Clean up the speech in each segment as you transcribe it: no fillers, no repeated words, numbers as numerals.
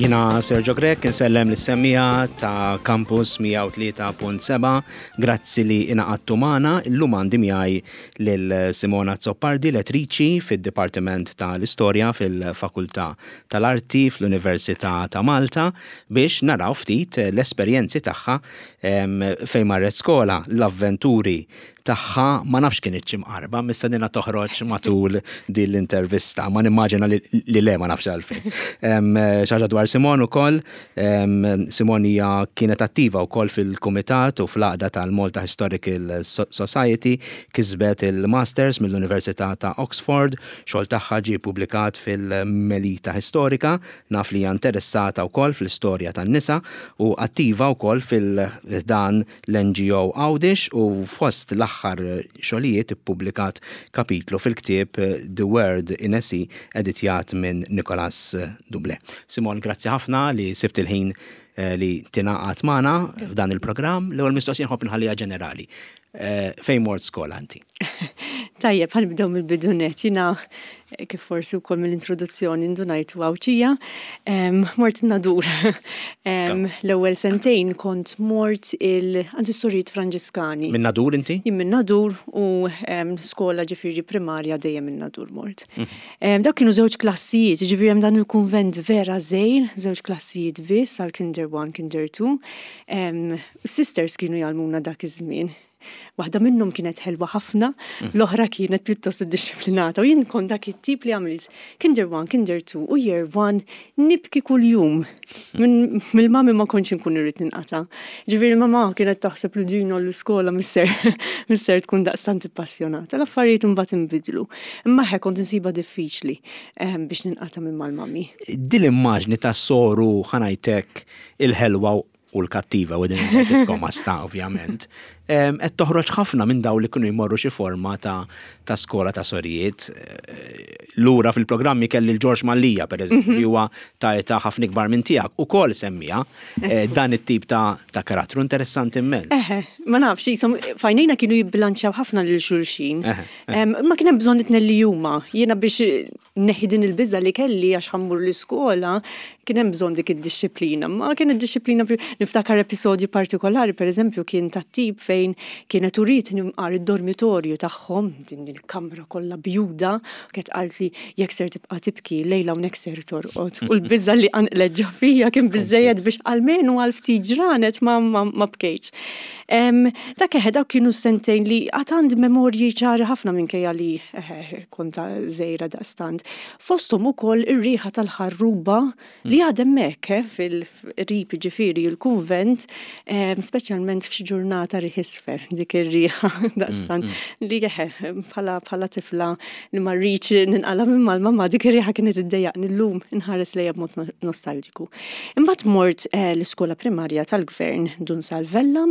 Jina Sergio Grech, insellem lis-semmiegħa ta' Campus 103.7. Grazzi li ingħaqadtu magħna. Illum għandi miegħi lil Simona Azzopardi, lettriċi fid-Dipartiment tal-Istorja fil-Fakultà tal-Arti fl-Università ta' Malta biex naraw ftit l-esperjenzi tagħha fejn marret skola, l-avventuri tagħha ma nafx kinitx imqarba, mistennina toħroġ matul din l-intervista, ma nimmaġina li le ma nafx għalfejn. Xi ħaġa dwar Simon ukoll, Simon hija kienet attiva wkoll fil-kumitat u fl-għaqda tal-Malta Historical Society, kisbet il-Masters mill-Università ta' Oxford, xogħol tagħha ġie ppubblikat fil-Melita Historica, naf li hija interessata wkoll fl-istorja tan-nisa u attiva wkoll fil-ħdan l-NGO Għawdex u fost l-aħħar xogħlijiet ippubblikat kapitlu fil-ktieb The Word in a Sea editjat minn Nicolas Doublet. Simon, grazzi ħafna li sibt il-ħin li tingħaqad magħna f'dan il-programm. L-ewwel mistoqsija nħobb inħalliha ġenerali. Fejn mort skola inti? Tajjeb, ħa nibdew mill-bidu nett. Jiena kif forsi wkoll mill-introduzzjoni ndunajtu Għawdxija, mort in-Nadur. L-ewwel sentejn kont mort il għand is-Sorijiet Franġiskani. Minn Nadur inti? Jien minn Nadur u skola ġifieri primarja dejjem in-Nadur mort. Dawk kienu żewġ klassijiet, ġifieri hemm dan il-kunvent vera żgħir, żewġ klassijiet biss għal Kinder 1, Kinder 2. Sisters kienu jgħallmuna dak iż-żmien. Waħda minnhom kienet ħelwa ħafna, l-oħra kienet pjuttost iddixxiplinata u jien kont dak it-tip li għamilt Kinder 1, Kinder 2 u Year 1 nibki kuljum. Mill-mami ma kontx inkun irrid ninqata'. Ġifieri mamà kienet taħseb li din għall-iskola misser misser tkun daqstant ippassjonata. L-affarijiet imbagħad inbidlu. Imma eħe kont insibha diffiċli biex ninqata' minn mal-mami. Din l-immaġni ta' soru ħa ngħid hekk il-ħelwa u l-kattiva u din il-koma sta ovvjament, qed toħroġ ħafna minn daw li kienu jmorru xi forma ta' ta' skola ta' sorijiet. Lura fil-programmi kelli l-Ġorġ Mallia, per eżempju, li huwa ta' età ħafna ikbar minn tiegħek, ukoll semmija dan it-tip ta' ta' karattru interessanti immens. Eħe, ma nafx, jisom, fajnejna kienu jibbilanċjaw ħafna lil xulxin. Ma kien hemm bżonn it-tnejn li huma. Jiena biex neħi din il-biża' li kelli għax ħa mmur l-iskola, kien hemm bżonn dik id-dixxiplina. Ma kienet dixxiplina niftakar episodju partikolari, pereżempju, kien tat-tip fejn kienet urietni mqar id-dormitorju tagħhom, din il-kamra kollha bjuda, u kienet qaltli jekk ser tibqa' tibki llejla hawnhekk ser torqod. U l-biża' li qanqlet ġo fija kien biżżejjed biex almenu għal ftit ġranet ma ma bkejtx. Dak eħe, dawk kienu sentejn li għad għandi memorji ċari ħafna minkejja li eħe kont żgħira daqstant. Fosthom ukoll ir-riħa tal-ħarruba li għad hemmhekk eh, fil-qrib jiġifieri l-kunvent, speċjalment f'xi ġurnata riħ isfer, dik ir-riħa daqstant li eħe bħala bħala tifla li ma rridx ninqala' minn mal-mamà dik ir-riħa kienet iddejjaqni llum inħares lejha b'mod nostalġiku. Imbagħad mort eh, l-iskola primarja tal-gvern Dun Salvella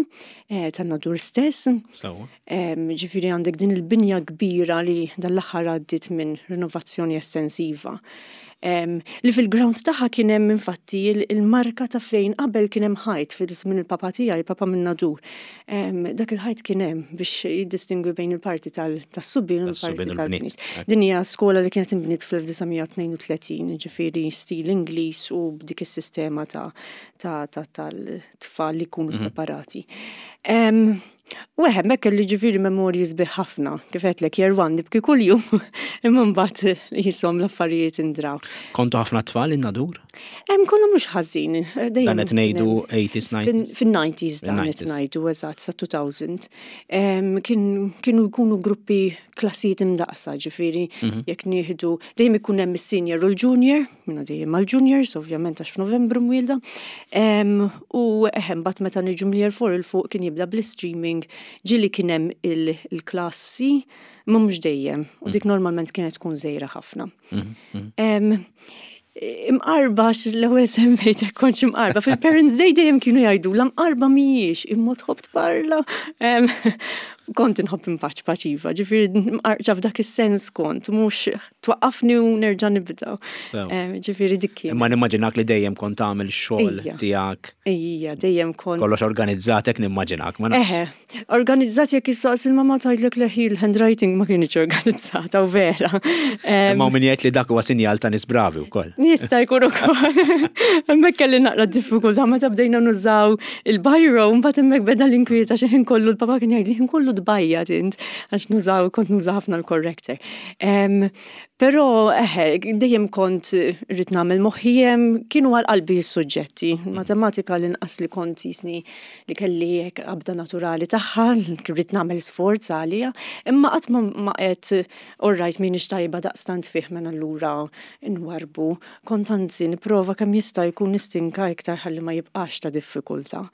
eh, tan-Nadur stess. Sewwa. Ġifieri għandek din il-binja kbira li dan l-aħħar għaddiet minn rinovazzjoni estensiva. Li fil-ground tagħha kien hemm infatti il-marka ta' fejn qabel kien hemm ħajt fil-żmien il-papa tiegħi, il-papa minn Nadur. Dak il-ħajt kien hemm biex jiddistingwi bejn il-parti tas-subien u l-parti tal-bniet. Din hija skola li kienet inbniet fl-1932, ġifieri stil Ingliż u b'dik is-sistema tal-tfal li jkunu separati. U eħe, hemmhekk kelli ġifieri memorji sbieħ ħafna, kif għedtlek year one nibki kuljum, imma mbagħad jisom l-affarijiet indraw. Kontu ħafna tfal in-Nadur? Hemm konna mhux ħażin. Dan qed ngħidu 80s, 90s? Fin-90s dan qed ngħidu eżatt sa 2000. Kienu jkunu gruppi klassijiet imdaqsa, ġifieri mhm. jekk nieħdu dejjem ikun hemm is-senior u l-junior, minna dejjem mal-juniors, ovvjament għax f'Novembru mwielda. U eħem bat meta niġu mill-year 4 il fuq kien jibda bl-streaming, ġieli kien hemm il-klassi, ma mhux dejjem, u dik mhm. normalment kienet tkun żejra ħafna. Mhm, Imqarba, l-ewwel semmejt kontx imqarba. Fil-Parents Day dejjem kienu jgħidu l-imqarba mhijiex imma tħobb tparla. Kont inħobb inpaċpaċ iva, ġifieri mqarqċa f'dak is-sens kont, mhux twaqqafni u nerġa' nibda. Ġifieri dik kien. Imma nimmaġinak li dejjem kont tagħmel xogħol tiegħek. Ija, dejjem kont. Kollox organizzat hekk nimmaġinak, ma nafx. Eħe, organizzat jekk issaqsi l-mamma tgħidlek leħi l-handwriting ma kienx organizzata u vera. Imma min jgħid li dak huwa sinjal ta' nies bravi wkoll. Jista' jkun ukoll. Hemmhekk kelli naqra diffikultà meta bdejna nużaw Il-bajro, mbagħad hemmhekk beda l-inkwiet għax ħin kollu l-papa kien jgħidli ħin kollu tbajjat int għax nużaw kont nuża ħafna l-corrector. Però eħe, dejjem kont rrid nagħmel moħħi hemm kienu għal qalbi s-suġġetti. Matematika l-inqas li kont jisni li kelli hekk qabda naturali tagħha, rrid nagħmel sforz għaliha, imma qatt ma qed all right m'iniex tajba daqstant fih mela allura nwarrbu. Kont anzi nipprova kemm jista' jkun nistinka iktar ħalli ma jibqax ta' diffikultà.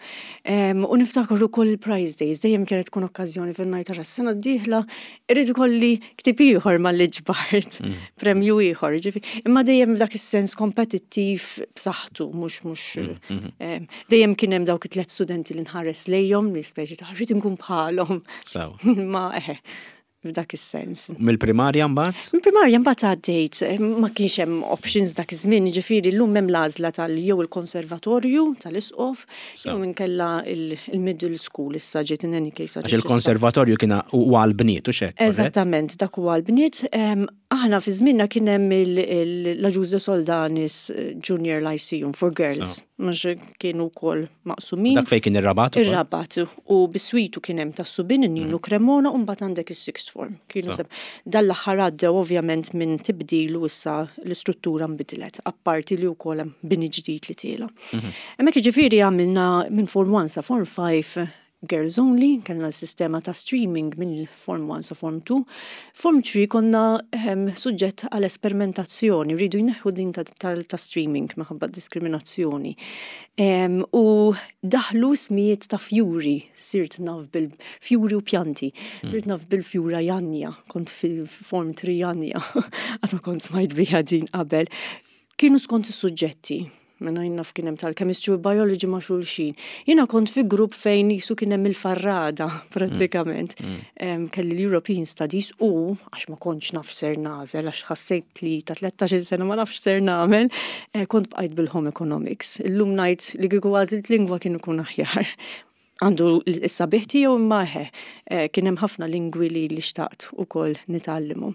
U niftakar ukoll il-prize days, dejjem kienet tkun okkażjoni fejn ngħid ara s-sena d-dieħla irrid ikolli ktieb ieħor malli ġbart, premju ieħor, jiġifieri. Imma dejjem f'dak is-sens kompetittiv b'saħħtu, mhux mhux dejjem kien hemm dawk it-tliet studenti li nħares lejhom li speċi ta' rrid inkun bħalhom. Ma eħe, f'dak is-sens. Mill-primarja mbagħad? Mill-primarja mbagħad għaddejt, ma kienx hemm options dak iż-żmien, jiġifieri llum hemm l-għażla tal jew il-konservatorju tal-isqof jew inkella il-middle school issa ġiet in any case. Għax il-konservatorju kien huwa għall-bniet u x'hekk. Eżattament, dak huwa għall-bniet. Aħna fi żmienna kien hemm l-Agius de Soldanis Junior Lyceum for Girls. Mhux kienu wkoll maqsumin. Dak fejn kien ir-Rabat? Ir-Rabat. U biswitu kien hemm tas-subien in-Ninu mm. Cremona u mbagħad għandek is-sixth form. Kienu dan l-aħħar għaddew ovvjament minn tibdil u issa l-istruttura nbidlet, apparti li wkoll hemm bini ġdid li tiela. Mhm. Hemmhekk jiġifieri għamilna minn form 1 sa form 5 Girls Only, kellna s-sistema ta' streaming minn Form 1 sa Form 2. Form 3 konna ehm, suġġett għal esperimentazzjoni, rridu jneħħu din ta', ta, ta streaming minħabba diskriminazzjoni. Ehm, u daħlu smijiet ta' fjuri, sirt naf bil-fjuri u pjanti, hmm. sirt naf bil-fjura Janja, kont fil-Form 3 Janja, għatma kont smajt biha din qabel. Kienu skont is-suġġetti. Mela jien naf kien hemm tal-chemistry u biology ma' xulxin. Jiena kont fi grupp fejn jisu kien hemm il-farrada prattikament. Mm. Mm. Kelli l-European Studies u għax ma kontx naf ser nagħżel għax ħassejt li ta' 13-il sena ma nafx ser nagħmel, eh, kont bqajt bil-home economics. Illum ngħid li kieku għażilt lingwa kien ikun aħjar. Għandu s-sabiħ tiegħu imma eħe, eh, kien hemm ħafna lingwi li li xtaqt ukoll nitgħallimhom.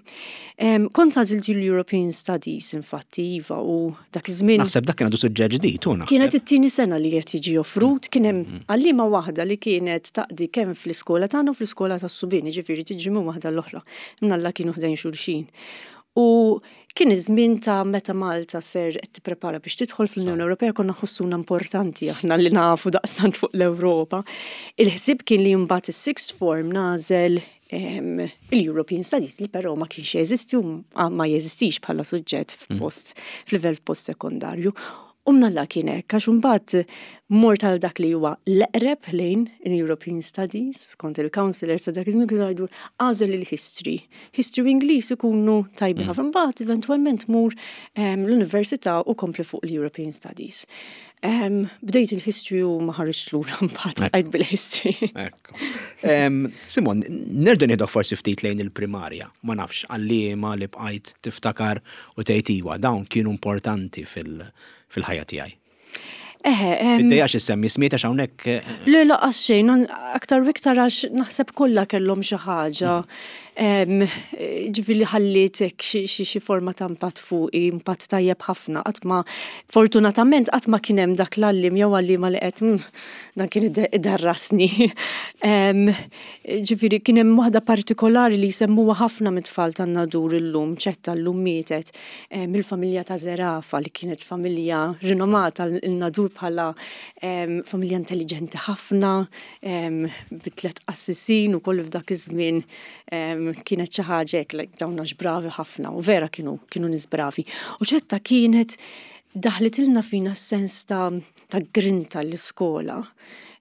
Kont għażilt l-European Studies infatti iva u dak iż-żmien. Naħseb dak kien għadu suġġett ġdid u naħseb. Kienet it-tieni sena li qed jiġi offrut, kien hemm mm. għalliema waħda li kienet taqdi kemm fl-iskola tagħna u fl-iskola tas-subien, jiġifieri tiġri minn waħda l-oħra. Mnalla kienu ħdejn xulxin. U kien iż-żmien ta' meta Malta ser qed tipprepara biex tidħol fl-Unjoni Ewropea konna nħossuna importanti aħna li nafu daqstant fuq l-Ewropa. Il-ħsieb kien li mbagħad is-sixth form nagħżel il-European Studies li però ma kienx jeżisti u ma jeżistix bħala suġġett mm. f'post f'livell f'post sekondarju. U mnalla kien hekk, għax imbagħad mort għal dak li huwa l-eqreb lejn il-European Studies, skont il-counselors ta' dak iż-żmien kienu jgħidu għażel il-history. History u Ingliż ikunu tajbin mm. ħafna. Mbagħad eventwalment mur ehm, l-università u kompli fuq l-European Studies. Ehm, bdejt il-history u ma ħariġt lura mbagħad bqajt bil-history. Simon, nerġa' nieħdok forsi ftit lejn il-primarja, ma nafx għalliema li bqajt tiftakar u tgħid iwa, dawn kienu importanti fil-ħajja tiegħi. Eħe. Iddejjax issemmi ismijiet għax hawnhekk. Eh, Le laqas xejn, aktar u iktar għax naħseb kollha kellhom xi ħaġa. Ġifieri ħalliet hekk xi forma ta' impatt fuqi, impatt tajjeb ħafna. Qatt ma fortunatament qatt ma kien hemm dak l-għalliem jew għalliema li qed mm, dan kien idarrasni. Ġifieri kien hemm waħda partikolari li jsemmuha ħafna mit-tfal tan-Nadur illum, ċetta llum mietet, mill-familja ta' Zerafa li kienet familja rinomata l-Nadur bħala familja intelliġenti ħafna, bi tliet qassisin u kollu f'dak iż-żmien kienet xi ħaġa hekk like dawn għax bravi ħafna u vera kienu kienu nies bravi. U ċetta kienet daħlitilna fina s-sens ta' ta' grinta l-iskola.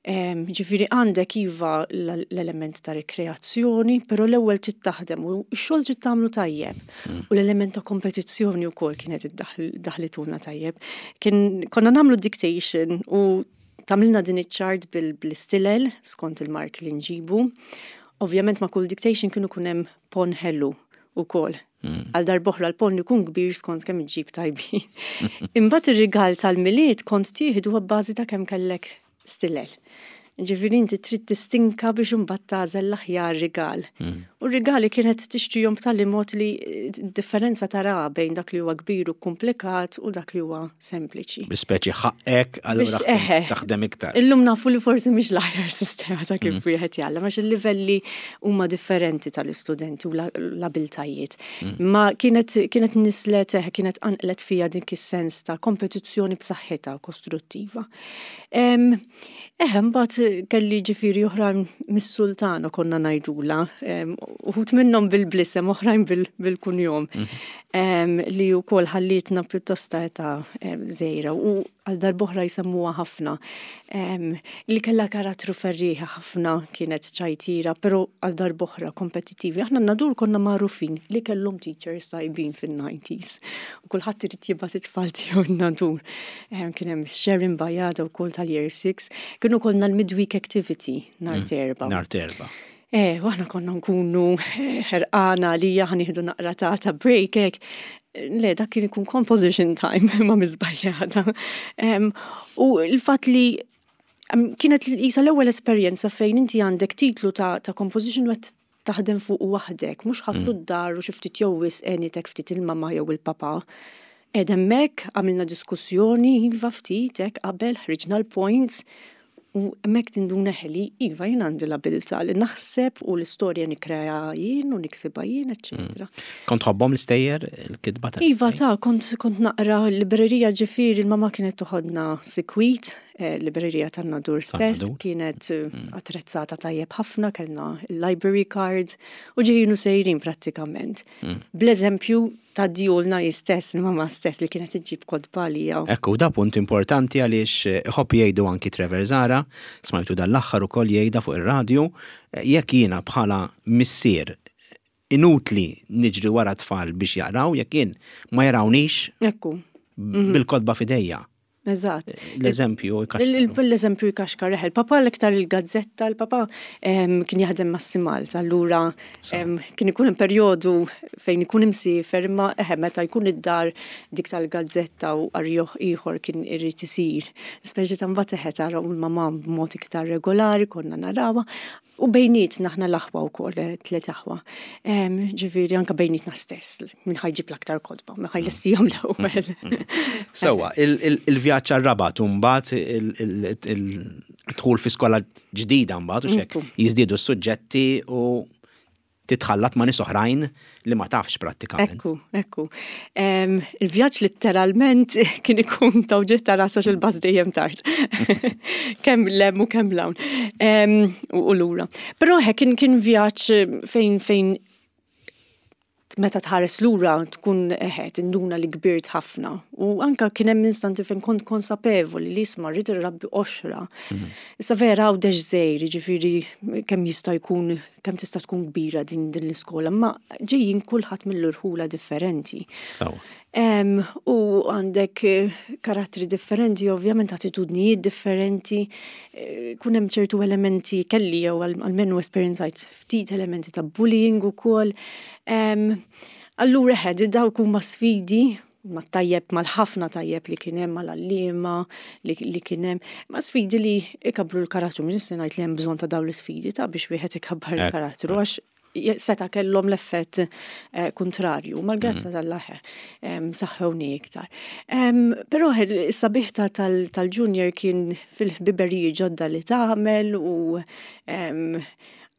Ġifieri għandek iva l-element ta' rekreazzjoni, però l-ewwel trid taħdem u x-xogħol trid tagħmlu tajjeb. Mm. U l-element ta' kompetizzjoni wkoll kienet iddaħlituna tajjeb. Kien konna nagħmlu dictation u tagħmilna din iċ-ċart bil-istilel skont il-mark li nġibu. Ovvjament ma' kull dictation kienu kun hemm pon ħelu ukoll. Għal darb'oħra l-pon ikun kbir skont kemm iġġib tajbin. Imbagħad ir-rigal tal-Milied kont tieħdu abbażi ta' kemm kellek stilel. Ġifieri inti trid tistinka biex imbagħad tagħżel l-aħjar rigal. U r-rigali kienet tixtrihom b'tali mod li d-differenza taraha bejn dak li huwa kbir u kkumplikat u dak li huwa sempliċi. Bi speċi ħaqqek allura taħdem iktar. Illum nafu li forsi mhix l-aħjar sistema ta' kif wieħed jgħallem għax il-livelli huma differenti tal-istudenti u l-abiltajiet. Ma kienet kienet nislet kienet qanqlet fija dik is-sens ta' kompetizzjoni b'saħħitha kostruttiva. Eħe, mbagħad kelli ġifieri oħrajn mis-Sultana konna ngħidula, uħud minnhom bil-blisem, oħrajn bil-kunjom, li wkoll ħallietna pjuttost ta' età żgħira u għal darb'oħra jsemmuha ħafna. Li kellha karattru ferrieħi ħafna, kienet ċajtira, però għal darb'oħra kompetittivi. Aħna n-Nadur konna magħrufin li kellhom teachers tajbin fin-90s u kulħadd irid jibgħat it-tfal tiegħu n-Nadur. Kien hemm Sharon Bajada wkoll tal-Year 6. Kienu kollna l-midweek activity nhar mm, terba. Nhar terba. Eh, u aħna konna nkunu eh, ħerqana li ħa nieħdu naqra ta' ta' break hekk. Le, dak kien ikun composition time ma' miżbajjata. U l-fatt li kienet jisa l-ewwel esperjenza fejn inti għandek titlu ta', ta composition u qed taħdem fuqu waħdek, mhux ħadtu d-dar u xi ftit jew wisq għenitek ftit il-mamma jew il-papà. Qiegħda hemmhekk, għamilna diskussjoni, iva ftit hekk qabel, ħriġna l-points u hemmhekk tinduna eħe li iva jien għandi l-abilità li naħseb u l-istorja nikkreaha jien u niksibha jien, eċċetera. Kont tħobbhom l-istejjer, il-kitba tal Iva ta' kont kont naqra l-librerija ġifieri l-mamma kienet toħodna sikwit Librerija tan-Nadur stess kienet mm. attrezzata tajjeb ħafna, kellna library card u ġejjin u sejrin prattikament. Mm. Bl-eżempju ta' djulna jistess, il-mama stess li kienet iġġib kodba għalija. Ekku, da punt importanti għaliex eh, iħobb jgħidu anki Trevor Zara, smajtu dal-aħħar ukoll jgħidha fuq ir-radju, eh, jekk jiena bħala missier inutli niġri wara tfal biex jaqraw jekk jien ma jarawnix Ekku. Mhm. bil-kodba fidejja. Eżatt. L-eżempju jkaxkar. L-eżempju jkaxkar, eħe. Il-papa l-iktar il-gazzetta, il-papa kien jaħdem mas-Simalta, allura kien ikun hemm perjodu fejn ikun imsiefer, imma eħe meta jkun id-dar dik tal-gazzetta u qari ieħor kien irid isir. Speċi ta' mbagħad eħe tara u l-mamà b'mod iktar regolari konna narawha. U bejnietna aħna l-aħwa wkoll, eh, tliet aħwa. Ġifieri anke bejnietna stess, min ħajġib l-aktar kotba, min ħajlessihom l-ewwel. Sewwa, il-vjaġġ għar-Rabat u mbagħad il-dħul fi skola ġdida mbagħad u xek jiżdiedu s-suġġetti u titħallat ma' nies oħrajn li ma tafx prattikament. Ekku, ekku. Il-vjaġġ litteralment kien ikun ta' uġigħ ta' ras għax il-bus dejjem tard. Kemm lem u kemm lawn. U lura. Però kien kien vjaġġ fejn fejn meta tħares lura tkun eħe tinduna li kbirt ħafna. U anka kien hemm instanti fejn kont konsapevoli li isma' rrid irrabbi qoxra. Mhm. Issa vera għawdex żgħir, jiġifieri kemm jista' jkun kemm tista' tkun kbira din din l-iskola, imma ġejjin kulħadd mill-irħula differenti. Sawa. U għandek eh, karattri differenti, ovvjament attitudnijiet differenti, eh, kun hemm ċertu elementi kelli jew almenu esperjenzajt ftit elementi ta' bullying ukoll. Allura ħed dawk huma sfidi mat-tajjeb, mal-ħafna tajjeb li kien hemm, mal-għalliema li kien hemm, ma' sfidi li ikabbru l-karattru, mhux se ngħid li hemm bżonn ta' dawn l-isfidi ta' biex wieħed ikabbar il-karattru għax seta' kellhom l-effett eh, kontrarju, mal-grazza mm. tal-laħe saħħewni iktar. Però is-sabiħ tal-junior kien fil-ħbiberiji ġodda li tagħmel u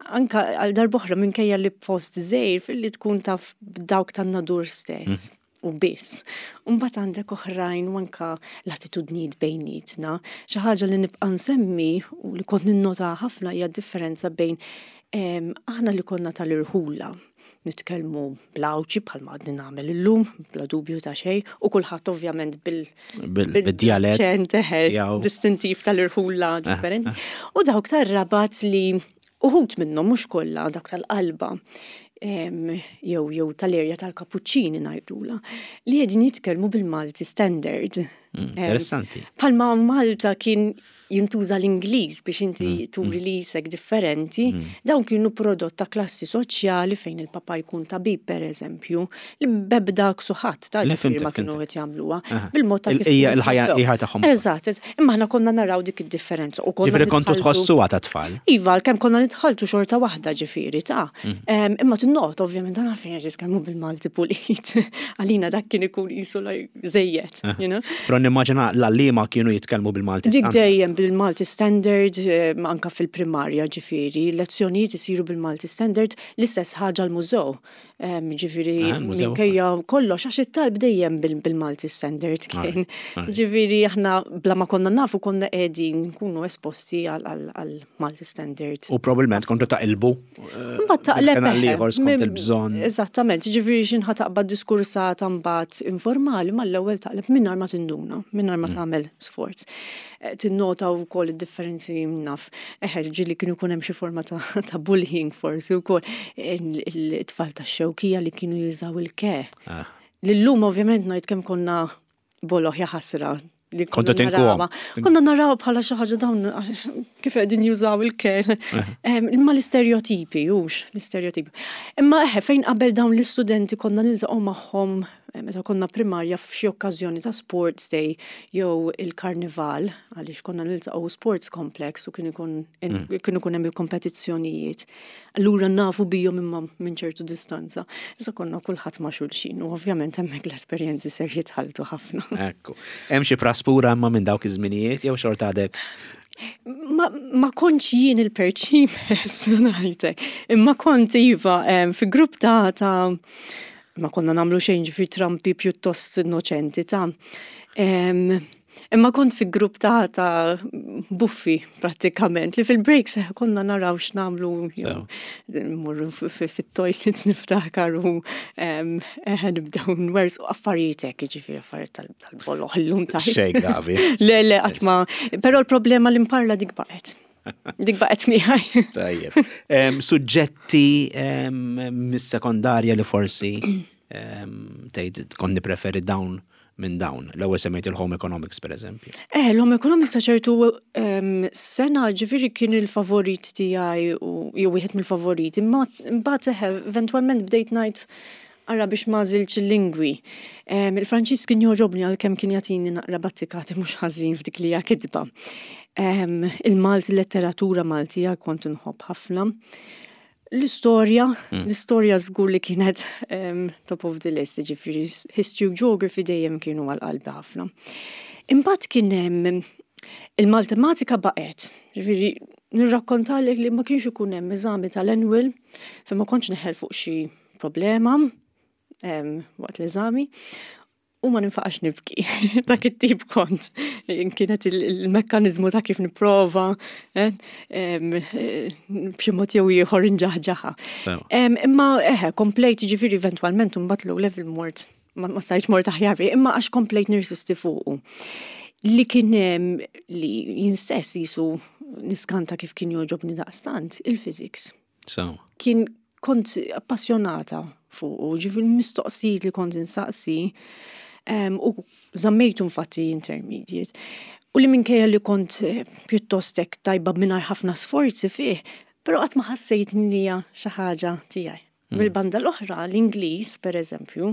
anka għal darb'oħra minkejja li post żgħir filli tkun taf dawk tan-nadur stess. Mm. U biss. Mbagħad għandek oħrajn u anka l-attitudnijiet bejnietna. Xi ħaġa li nibqa' nsemmi u li kont ninnota ħafna hija differenza bejn aħna li konna tal-irħula nitkellmu bl-Għawdxi bħalma għadni nagħmel illum, bla dubju ta' xejn, u kulħadd ovvjament bil bil-djalett distintiv tal-irħula eh, differenti. Eh. U dawk tar-Rabat li uħud minnhom mhux kollha dawk tal-qalba jew jew tal-erja tal-Kapuċċini ngħidula li qegħdin jitkellmu bil-Malti standard. Mm, interessanti. Palma Malta kien jintuża l-Ingliż biex inti turi li jisek differenti, dawn kienu prodott ta' klassi soċjali fejn il-papa jkun tabib per eżempju, li bebda ksuħat ta' Le, ġifieri ma fimtek, kienu fimtek. qed jagħmluha bil-mod ta' kif Il- hija kienu il-ħajja jittrabbew. ieħor tagħhom. Eżatt, eżatt. imma aħna konna naraw dik id-differenza u konna Ġifieri kontu nitħalltu- tħossuha ta' tfal. Iva, kemm konna nitħaltu xorta waħda ġifieri ta' Imma tinnot, ovvjament, dan għalfejn qed jitkellmu bil-Malti pulit. Għalina dak kien ikun qisu like żejjed, you know? Però nimmaġina l-għalliema kienu jitkellmu bil-Malti Dik standard. dejjem bil-Malti Standard, anka fil-primarja ġifieri, lezzjonijiet isiru bil-Malti Standard, l-istess ħaġa l-mużew. Ġifieri, Ah, il-mużew. minkejja kollox, għax it-talb dejjem bil-Malti Standard kien. Alright. Ġifieri, aħna bla ma konna nafu konna qegħdin nkunu esposti għal Malti Standard. U probabbilment kontu taqilbu. Mbagħad taqleb Kien eħe. ieħor skont il-bżonn. Eżattament, ġifieri xi ħa taqbad diskursata mbagħad informali mal-ewwel taqleb mingħajr ma tinduna, mingħajr ma tagħmel sforz. Tinnota wkoll id-differenzi naf. Eħe, ġieli kienu jkun hemm xi forma ta' bullying forsi wkoll il-tfal tax-Xewkija li kienu jużaw il-ke. Lillum ovvjament ngħid kemm konna boloh jaħasra li Kontu konna tinkuhom. narawha. Konna naraw bħala xi ħaġa dawn kif qegħdin jużaw il-ke. Imma l-istereotipi, hux, l-istereotipi. Imma eħe, fejn qabel dawn l-istudenti konna niltaqgħu magħhom meta konna primarja f'xi okkażjoni ta' sports day jew il-karnival, għaliex konna niltaqgħu sports complex u kien ikun kien ikun hemm il-kompetizzjonijiet. Allura nafu bihom imma minn ċertu distanza. Issa konna kulħadd ma' xulxin u ovvjament hemmhekk l-esperjenzi ser jitħalltu ħafna. Ekku. Hemm xi praspura imma minn dawk iż-żminijiet jew xorta għadek? Ma kontx jien il-perċimes, ngħidlek. Imma kont iva fi grupp ta' ma konna nagħmlu xejn ġifieri trampi pjuttost innoċenti ta' Imma kont fi grupp ta' buffi prattikament li fil-breaks konna naraw x'nagħmlu jew mmorru fit-toilets niftakar u nibdew nwerżqu affarijiet hekk, jiġifieri affarijiet tal-boloh illum tajt. Xejn gravi. Le, le, qatt ma. Però l-problema li mparla dik baqgħet. Dik baqgħet miegħi. Tajjeb. Suġġetti mis-sekondarja li forsi tgħid kont nippreferi dawn minn dawn. L-ewwel semmejt il-home economics per eżempju. L-home economics ta' ċertu sena ġifieri kien il-favorit tiegħi u jew wieħed mill-favoriti, imma mbagħad eħe eventwalment bdejt ngħid ara biex ma għażiltx il-lingwi. Il-Franċiż kien jogħġobni għalkemm kien jagħtini naqra battikati mhux ħażin f'dik li hija kitba. Il-Malti, letteratura Maltija kont inħobb ħafna. L-istorja, l-istorja żgur li kienet top of the list, ġifieri history u geography dejjem kienu għal qalbi ħafna. Imbagħad kien hemm il-matematika baqgħet, ġifieri nirrakkontalek li ma kienx ikun hemm eżami tal-annual fejn ma kontx neħel fuq xi problema waqt l-eżami u ma ninfaqax nibki. Dak it-tip kont. Kienet il-mekkanizmu ta' kif nipprova, b'xi mod jew ieħor nġaħġaħa. Imma eħe, komplejt ġifieri eventwalment mbagħad low level mort, ma stajtx mort aħjar, imma għax komplejt nirsisti fuqu. Li kien hemm li jien stess jisu niskanta kif kien jogħġobni daqstant, il-physics. Kien kont appassjonata fuq, ġifieri mistoqsijiet li kont insaqsi, u żammejtu infatti intermediate. U li minkejja li kont pjuttost hekk tajba mingħajr ħafna sforzi fih, però qatt ma ħassejt li hija xi ħaġa tiegħi. Mill-banda l-oħra, l-Ingliż, per eżempju,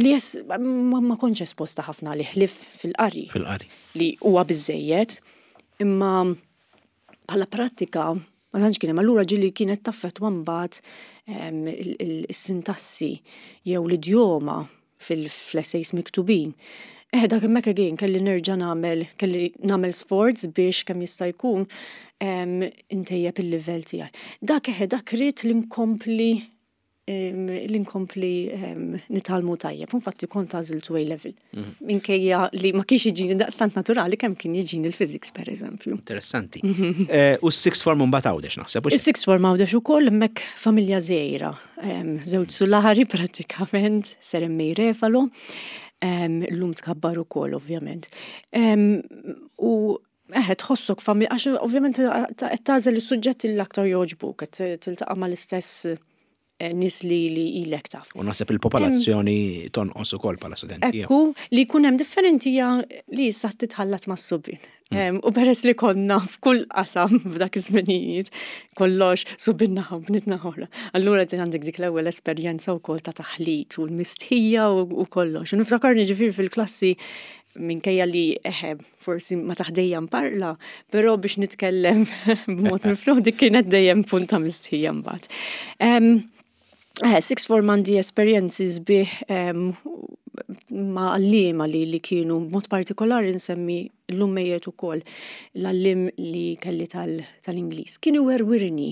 li ma kontx esposta ħafna li ħlief fil-qari. Fil-qari. Li huwa biżejjed, imma bħala prattika ma tantx kien hemm. Allura ġieli kienet taffettwa mbagħad is-sintassi jew l-idjoma fil-essays miktubin. Dak hemmhekk again kelli nerġa' nagħmel, kelli nagħmel sforz biex kemm jista' jkun intejjeb il-livell tiegħi. Dak eħe, dak ried li nkompli li nkompli nitgħallmu tajjeb. Infatti kont għażiltu A level. Minkejja li ma kienx jiġini daqstant naturali kemm kien jiġini l-physics per eżempju. Interessanti. U s-sixth form mbagħad Għawdex naħseb, u Is-sixth form Għawdex ukoll hemmhekk familja żgħira. Żewġ sulari prattikament, Sir M.A. Refalo. Illum tkabbar ukoll ovvjament. U eħe, tħossok familja, għax ovvjament qed tagħżel is-suġġetti li l-aktar jogħġbuk, qed tiltaqa' mal-istess nies li ilek taf. U naħseb il-popolazzjoni tonqos ukoll bħala studenti. Ekku, li jkun hemm differenti hija li issa titħallat mas-subien. U peress li konna f'kull qasam f'dak iż-żminijiet, kollox subin naħa u bniet naħa oħra. Allura din għandek dik l-ewwel esperjenza wkoll ta' taħlit u l-mistħija u kollox. U niftakarni ġifieri fil-klassi minkejja li eħe forsi ma taħdejja mparla, però biex nitkellem b'mod miftuħ dik kienet dejjem punt ta' mistħija mbagħad. Sixth form għandi esperjenzi sbieħ ma' għalliema li li kienu b'mod partikolari nsemmi llum mejjet ukoll l-għalliem li kelli tal-Ingliż. Kien iwerwirni.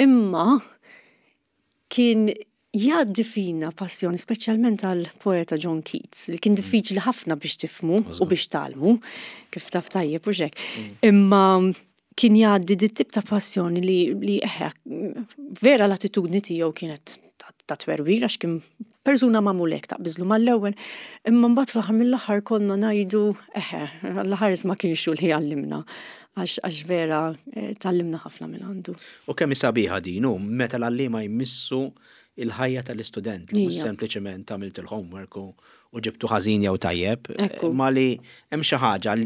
Imma kien jgħaddi fina passjoni speċjalment għall-poeta John Keats li kien diffiċli ħafna biex tifhmu u biex tgħallmu, kif taf tajjeb u x'hekk. Imma kien jgħaddi dit tip ta' passjoni li, li eħe, vera l-attitudni tiegħu kienet ta' twerwir għax kien persuna magħmul hekk taqbiżlu mal-ewwel, imma mbagħad fl-aħħar mill-aħħar konna ngħidu eħe, l-aħħar ma kienx hu li għallimna għax vera eh, tgħallimna ħafna minn għandu. U kemm hi sabiħa din hu meta l-għalliema jmissu il-ħajja tal-istudent, li mhux sempliċement għamilt il-homework u ġibtu ħażin jew tajjeb, ma li hemm xi ħaġa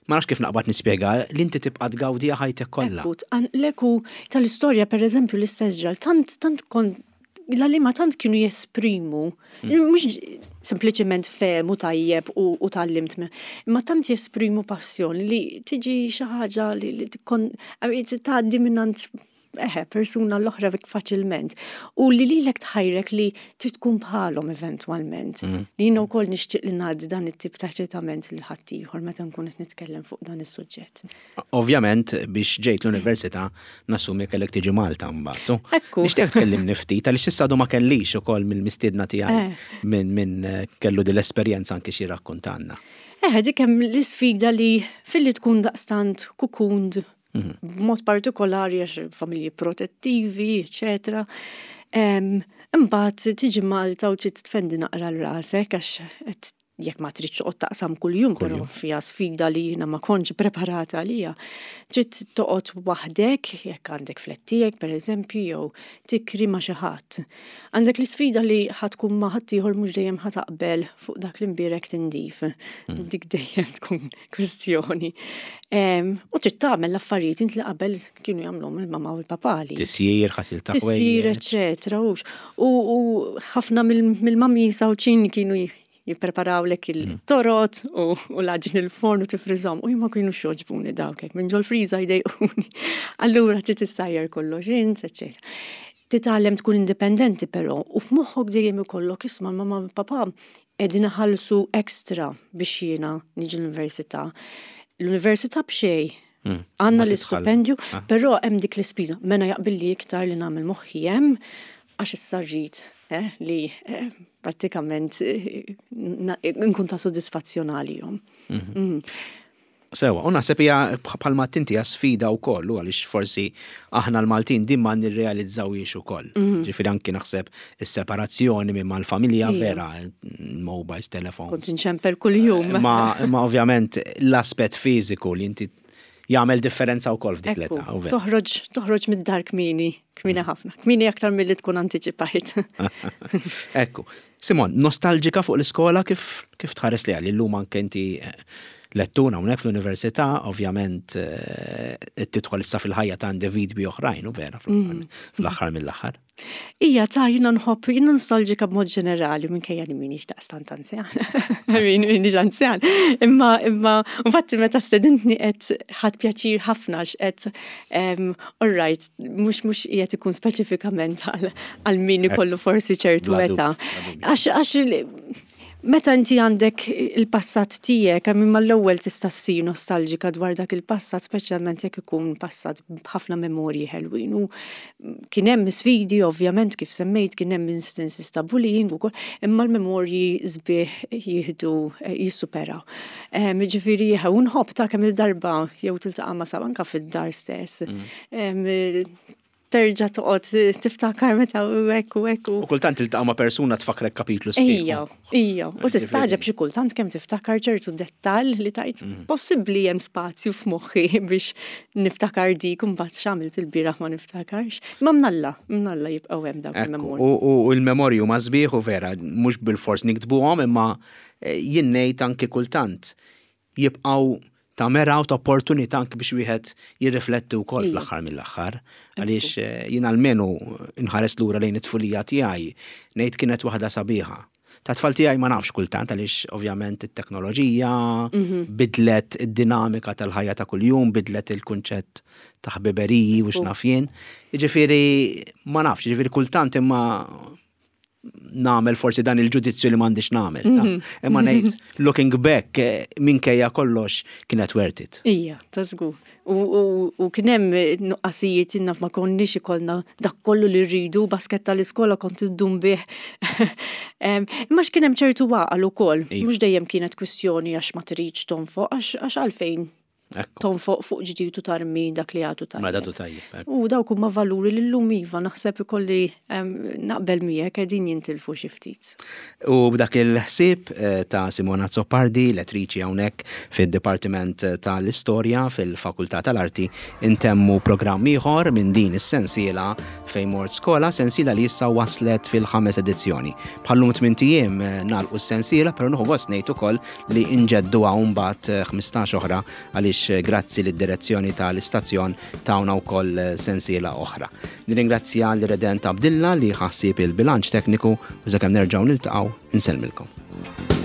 Ma nafx kif naqbad nispjega, li inti tibqa' tgawdiha ħajtek kollha. Ekku, tqanqlek u tal-istorja pereżempju l-istess ġral, tant tant kont l-għalliema tant kienu jesprimu, mhux sempliċement fehmu tajjeb u u tgħallimt imma tant jesprimu passjoni li tiġi xi ħaġa li li tkun tgħaddi mingħand eħe, persuna l-oħra faċilment. U li lilek tħajrek li trid tkun bħalhom eventwalment. Li jiena wkoll nixtieq li ngħaddi dan it-tip ta' eċitament lil ħaddieħor meta nkun qed nitkellem fuq dan is-suġġett. Ovvjament biex ġejt l-università nassumi kellek tiġi Malta mbagħad. Ekku. Nixtieq tkellimni ftit għaliex issa għadu ma kellix ukoll mill-mistiedna tiegħi eh. minn min eh, kellu din l-esperjenza anki xi rakkontanna. Eh, dik hemm l-isfida li filli tkun daqstant kukund B'mod partikolari għax familji protettivi, eċetera. Imbagħad tiġi Malta u trid tfendi naqra l-rasek għax jekk ma tridx toqgħod taqsam kuljum, però fiha sfida li jiena ma kontx preparata għaliha. Trid toqgħod waħdek, jekk għandek flat tiegħek pereżempju, jew tikri ma' xi ħadd. Għandek l-isfida li ħa tkun ma' ħaddieħor mhux dejjem ħa taqbel fuq dak li mbierek tindif. Dik dejjem tkun kwistjoni. U trid tagħmel l-affarijiet int li qabel kienu jagħmluhom il-mama u l-papa li. Tisjir, ħasil ta' Tisjir, eċetera. U ħafna mill-mami sawċin kienu jippreparawlek il-torot u l-għaġin il-forn u tifriżhom u jien ma kienux jogħġbuni dawk hekk minn ġol-friża jdejquni. Allura trid issajjar kollox int, eċetera. Titgħallem tkun indipendenti però u f'moħħok dejjem ikollok isma' l-mama u l-papa qegħdin iħallsu extra biex jiena niġi l-università. L-università b'xejn. Għandna l-istipendju, ah. però hemm dik l-ispiża. Mena jaqbilli iktar li nagħmel moħħi hemm għax issa rrid eh, li eh, prattikament eh, nkun ta' sodisfazzjon għalihom. Mhm. Sewa, u naħseb hija bħalma tinti hija sfida wkoll u għaliex forsi aħna l-Maltin din ma nirrealizzawhiex ukoll. Mhm. Ġifieri anki naħseb is-separazzjoni minn mal-familja vera, mobiles, telefons. Kont inċempel kuljum. Ma, ma ovvjament l-aspett fiżiku li inti jagħmel differenza wkoll f'dik l-età. Toħroġ toħroġ mid-dar kmieni, kmieni mm. ħafna. Kmieni aktar milli tkun antiċipajt. Ekku. Simon, nostalġika fuq l-iskola kif kif tħares li għal illum anke inti eh, lettur hawnhekk fl-università, ovvjament eh, tidħol issa fil-ħajja ta' individwi oħrajn u vera mm. fl-aħħar mill-aħħar. Ija ta' jina nħobb, jina nostalġika b'mod ġenerali, minkejja li minix daqstant anzjan. Minix anzjan. Imma, imma, infatti meta stedintni qed ħadd pjaċir ħafna x'qed all right, mhux mhux qiegħed ikun speċifikament għal min ikollu forsi ċertu età. Għax għax meta inti għandek il-passat tiegħek, hemm mal-ewwel tista' ssir nostalġika dwar dak il-passat, speċjalment jekk ikun passat b'ħafna memorji ħelwin. U kien hemm sfidi ovvjament kif semmejt kien hemm instances ta' bullying ukoll, imma l-memorji sbieħ jieħdu jissuperaw. Ġifieri u nħobb ta' kemm il-darba jew tiltaqa' ma' sab anka fid-dar stess. Terġa' toqgħod tiftakar meta u hekk u hekk. U kultant tiltaqa' ma' persuna tfakkrek kapitlu sħiħ. Ija, ija. U tistaġeb xi kultant kemm tiftakar ċertu dettall li tajt mhm. possibbli hemm spazju f'moħħi biex niftakar dik u mbagħad x'għamilt il-bieraħ ma niftakarx. Ma mnalla, mnalla jibqgħu hemm dawk il-memorji. U l-memorji huma sbieħ u vera, mhux bilfors niktbuhom imma eh, jien ngħid anki kultant jibqgħu ta' mera u ta' opportunità anki biex wieħed jirrifletti wkoll fl-aħħar mill-aħħar. Għaliex eh, jien almenu nħares lura lejn it-tfulija tiegħi ngħid kienet waħda sabiħa. Ta' tfal tiegħi ma nafx kultant għaliex ovvjament it-teknoloġija mhm. bidlet id-dinamika tal-ħajja ta' kuljum, bidlet il-kunċett ta' ħbiberiji u x'naf jien. Jiġifieri ma nafx, jiġifieri kultant imma nagħmel forsi dan il-ġudizzju li m'għandix nagħmel. Mhm. Imma ngħid looking back eh, minkejja kollox kienet worth it. Ija, ta' żgur. U kien hemm nuqqasijiet naf ma konniex ikollna dak kollu li rridu, basket tal-iskola kont iddum bih. Imma x'kien hemm ċertu għaqal ukoll, mhux dejjem kienet kwistjoni għax ma tridx tonfoq għax għalfejn tonfoq fuq ġdid u tarmi dak li għadu tajjeb. Għadu tajjeb. U dawk huma valuri li llum iva naħseb ikolli naqbel miegħek qegħdin jintilfu xi ftit. U b'dak il-ħsieb eh, ta' Simona Azzopardi, lettriċi hawnhekk fid-Dipartiment tal-Istorja fil-Fakultà tal-Arti, intemmu programm ieħor minn din is-sensiela fejn mort skola, sensiela li issa waslet fil-ħames edizzjoni. Bħallum tmint ijiem eh, nagħlqu s-sensiela, però nieħu gost ngħid ukoll li nġedduha mbagħad 15 eh, oħra għaliex grazzi lid-direzzjoni tal-istazzjon tawna wkoll sensiela oħra. Nirringrazzja l-Redent Abdilla li ħassib il-bilanċ tekniku u sakemm nerġgħu niltaqgħu insellmilkom.